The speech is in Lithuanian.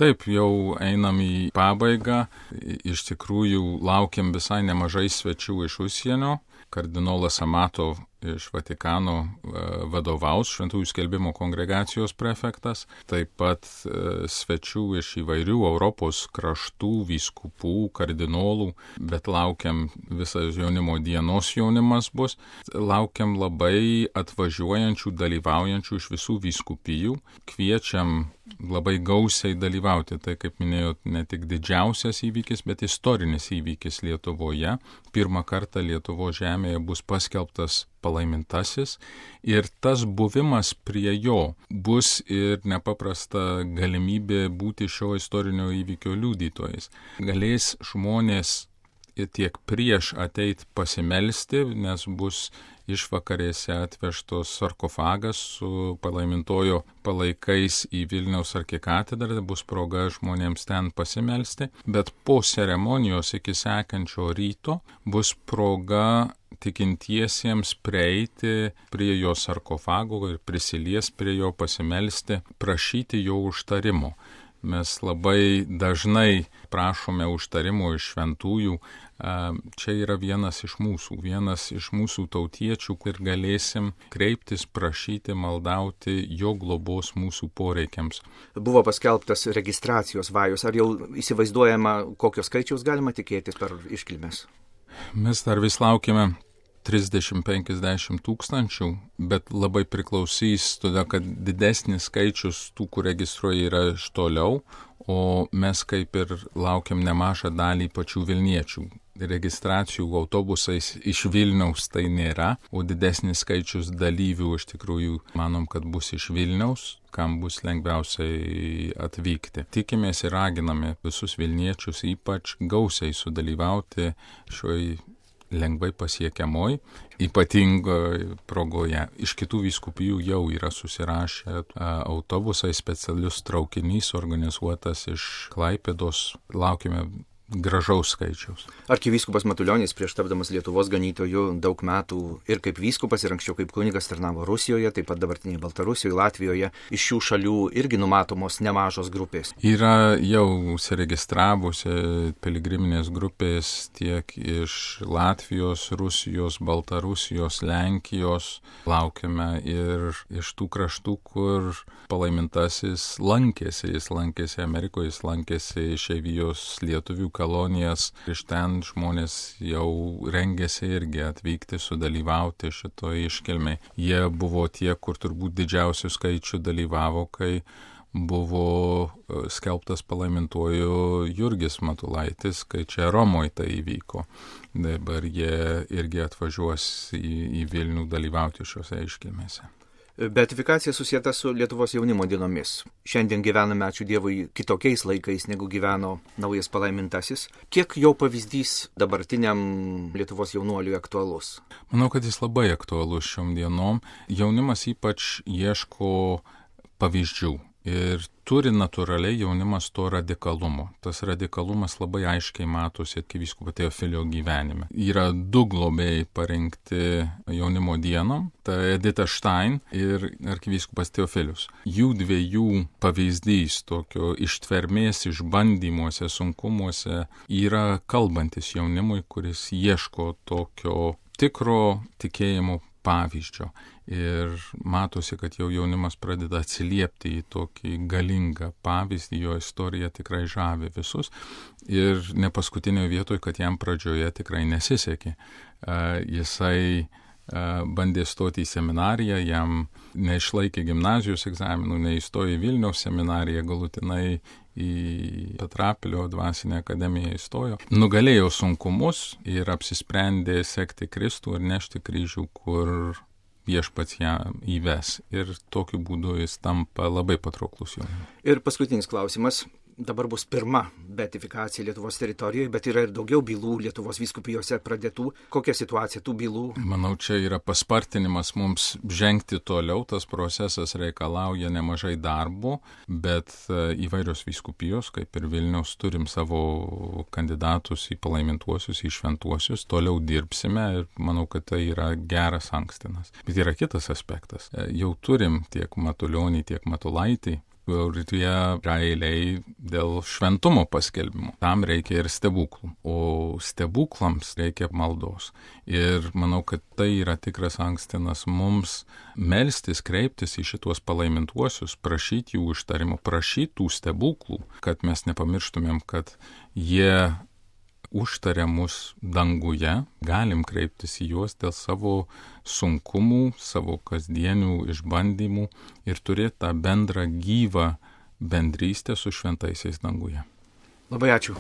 Taip, jau einam į pabaigą. Iš tikrųjų, laukiam visai nemažai svečių iš užsienio. Kardinolas Amato iš Vatikano vadovaus, Šventųjų skelbimo kongregacijos prefektas. Taip pat svečių iš įvairių Europos kraštų, vyskupų, kardinolų, bet laukiam visas jaunimo dienos jaunimas bus. Laukiam labai atvažiuojančių, dalyvaujančių iš visų vyskupijų. Kviečiam labai gausiai dalyvauti. Tai, kaip minėjau, ne tik didžiausias įvykis, bet istorinis įvykis Lietuvoje. Pirmą kartą Lietuvos žemėje bus paskelbtas palaimintasis ir tas buvimas prie jo bus ir nepaprasta galimybė būti šio istorinio įvykio liudytojais. Galės žmonės tiek prieš ateit pasimelsti, nes bus išvakarėse atvežtos sarkofagas su palaimintojo palaikais į Vilniaus arkikatedrą, bus proga žmonėms ten pasimelsti, bet po ceremonijos iki sekančio ryto bus proga tikintiesiems prieiti prie jo sarkofago ir prisilies prie jo, pasimelsti, prašyti jo užtarimo. Mes labai dažnai prašome užtarimo iš šventųjų. Čia yra vienas iš mūsų tautiečių, kur galėsim kreiptis, prašyti, maldauti jo globos mūsų poreikiams. Buvo paskelbtas registracijos vajus. Ar jau įsivaizduojama, kokios skaičiaus galima tikėtis per iškilmes? Mes dar vis laukime 30-50 tūkstančių, bet labai priklausys, todėl kad didesnis skaičius tų, kur registruoja, yra iš toliau, o mes kaip ir laukiam nemažą dalį pačių Vilniečių. Registracijų autobusais iš Vilniaus tai nėra, o didesnis skaičius dalyvių iš tikrųjų manom, kad bus iš Vilniaus, kam bus lengviausiai atvykti. Tikimės ir raginame visus Vilniečius ypač gausiai sudalyvauti šioj lengvai pasiekiamoj, ypatingoje progoje. Iš kitų vyskupijų jau yra susirašę autobusai, specialius traukinys organizuotas iš Klaipėdos. Laukime gražaus skaičiaus. Arkivyskupas Matulionis prieš tapdamas Lietuvos ganytoju daug metų ir kaip vyskupas ir anksčiau kaip kunigas tarnavo Rusijoje, taip pat dabartinėje Baltarusijoje, Latvijoje. Iš šių šalių irgi numatomos nemažos grupės. Yra jau užsiregistravusi piligriminės grupės tiek iš Latvijos, Rusijos, Baltarusijos, Lenkijos. Laukiame ir iš tų kraštų, kur palaimintasis lankėsi. Jis lankėsi Amerikoje, jis lankėsi išeivijos lietuvių kolonijas. Iš ten žmonės jau rengėsi irgi atvykti, sudalyvauti šitoje iškilmėje. Jie buvo tie, kur turbūt didžiausių skaičių dalyvavo, kai buvo skelbtas palaimintuoju Jurgis Matulaitis, kai čia Romoje tai įvyko. Dabar jie irgi atvažiuos į Vilnių dalyvauti šiuose iškilmėse. Beatifikacija susieta su Lietuvos jaunimo dienomis. Šiandien gyvename, ačiū Dievui, kitokiais laikais, negu gyveno naujas palaimintasis. Kiek jo pavyzdys dabartiniam Lietuvos jaunuoliui aktualus? Manau, kad jis labai aktualus šiom dienom. Jaunimas ypač ieško pavyzdžių. Ir turi natūraliai jaunimas to radikalumo. Tas radikalumas labai aiškiai matosi arkivyskupo Teofilio gyvenime. Yra du globėjai parinkti jaunimo dienom, tai Edita Štain ir arkivyskupas Teofilius. Jų dviejų pavyzdys tokio ištvermės išbandymuose, sunkumuose yra kalbantis jaunimui, kuris ieško tokio tikro tikėjimo pavyzdžio. Ir matosi, kad jau jaunimas pradeda atsiliepti į tokį galingą pavyzdį, jo istorija tikrai žavi visus. Ir ne paskutinioje vietoje, kad jam pradžioje tikrai nesisekė. Jisai bandė stoti į seminariją, jam neišlaikė gimnazijos egzaminų, neįstojo į Vilniaus seminariją, galutinai į Petrapilio dvasinę akademiją įstojo. Nugalėjo sunkumus ir apsisprendė sekti Kristų ir nešti kryžių, kur viešpats ją įves. Ir tokiu būdu jis tampa labai patrauklus jaunimui. Ir paskutinis klausimas. Dabar bus pirma beatifikacija Lietuvos teritorijoje, bet yra ir daugiau bylų Lietuvos vyskupijose pradėtų. Kokia situacija tų bylų? Manau, čia yra paspartinimas mums žengti toliau. Tas procesas reikalauja nemažai darbo, bet įvairios vyskupijos, kaip ir Vilniaus, turim savo kandidatus į palaimintuosius, į šventuosius. Toliau dirbsime ir manau, kad tai yra geras ankstinas. Bet yra kitas aspektas. Jau turim tiek Matulionį, tiek Matulaitį, kurie realiai dėl šventumo paskelbimo. Tam reikia ir stebuklų, o stebuklams reikia maldos. Ir manau, kad tai yra tikras ankstinas mums melstis, kreiptis į šitos palaimintuosius, prašyti jų užtarimo, prašyti tų stebuklų, kad mes nepamirštumėm, kad jie užtaria mus danguje, galim kreiptis į juos dėl savo sunkumų, savo kasdienių išbandymų ir turėti tą bendrą gyvą bendrystę su šventaisiais danguje. Labai ačiū.